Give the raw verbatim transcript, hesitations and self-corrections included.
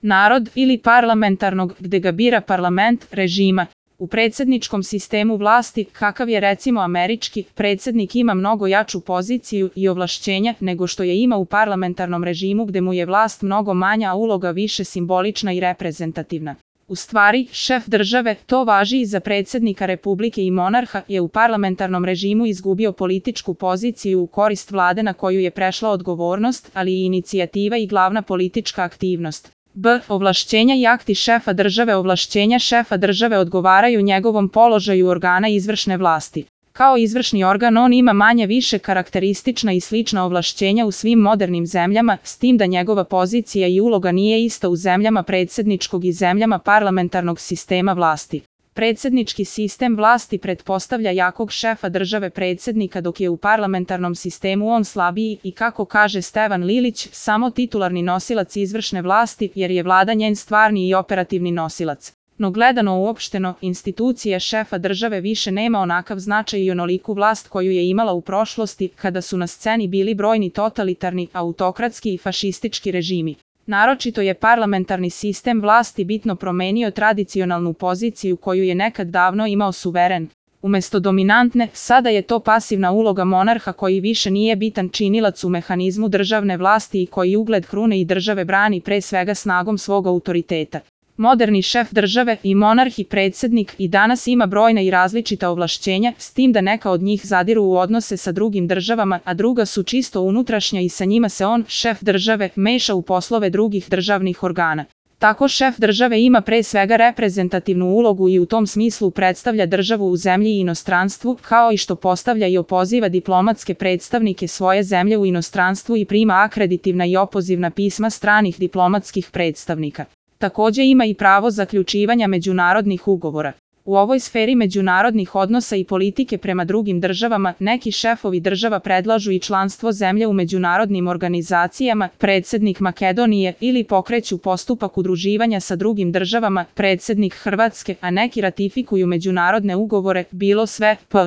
narod ili parlamentarnog, gde ga bira parlament, režima. U predsjedničkom sistemu vlasti, kakav je recimo američki, predsjednik ima mnogo jaču poziciju i ovlašćenja nego što je ima u parlamentarnom režimu gde mu je vlast mnogo manja, a uloga više simbolična i reprezentativna. U stvari, šef države, to važi i za predsjednika republike i monarha, je u parlamentarnom režimu izgubio političku poziciju u korist vlade na koju je prešla odgovornost, ali i inicijativa i glavna politička aktivnost. B. Ovlašćenja i akti šefa države. Ovlašćenja šefa države odgovaraju njegovom položaju organa izvršne vlasti. Kao izvršni organ on ima manje više karakteristična i slična ovlašćenja u svim modernim zemljama, s tim da njegova pozicija i uloga nije ista u zemljama predsjedničkog i zemljama parlamentarnog sistema vlasti. Predsjednički sistem vlasti pretpostavlja jakog šefa države predsjednika, dok je u parlamentarnom sistemu on slabiji i, kako kaže Stevan Lilić, samo titularni nosilac izvršne vlasti, jer je vlada njen stvarni i operativni nosilac. No gledano uopšteno, institucija šefa države više nema onakav značaj i onoliku vlast koju je imala u prošlosti, kada su na sceni bili brojni totalitarni, autokratski i fašistički režimi. Naročito je parlamentarni sistem vlasti bitno promenio tradicionalnu poziciju koju je nekad davno imao suveren. Umesto dominantne, sada je to pasivna uloga monarha koji više nije bitan činilac u mehanizmu državne vlasti i koji ugled krune i države brani pre svega snagom svog autoriteta. Moderni šef države i monarh i predsjednik i danas ima brojna i različita ovlašćenja, s tim da neka od njih zadiru u odnose sa drugim državama, a druga su čisto unutrašnja i sa njima se on, šef države, meša u poslove drugih državnih organa. Tako šef države ima pre svega reprezentativnu ulogu i u tom smislu predstavlja državu u zemlji i inostranstvu, kao i što postavlja i opoziva diplomatske predstavnike svoje zemlje u inostranstvu i prima akreditivna i opozivna pisma stranih diplomatskih predstavnika. Također ima i pravo zaključivanja međunarodnih ugovora. U ovoj sferi međunarodnih odnosa i politike prema drugim državama, neki šefovi država predlažu i članstvo zemlje u međunarodnim organizacijama, predsjednik Makedonije, ili pokreću postupak udruživanja sa drugim državama, predsjednik Hrvatske, a neki ratifikuju međunarodne ugovore, bilo sve, p.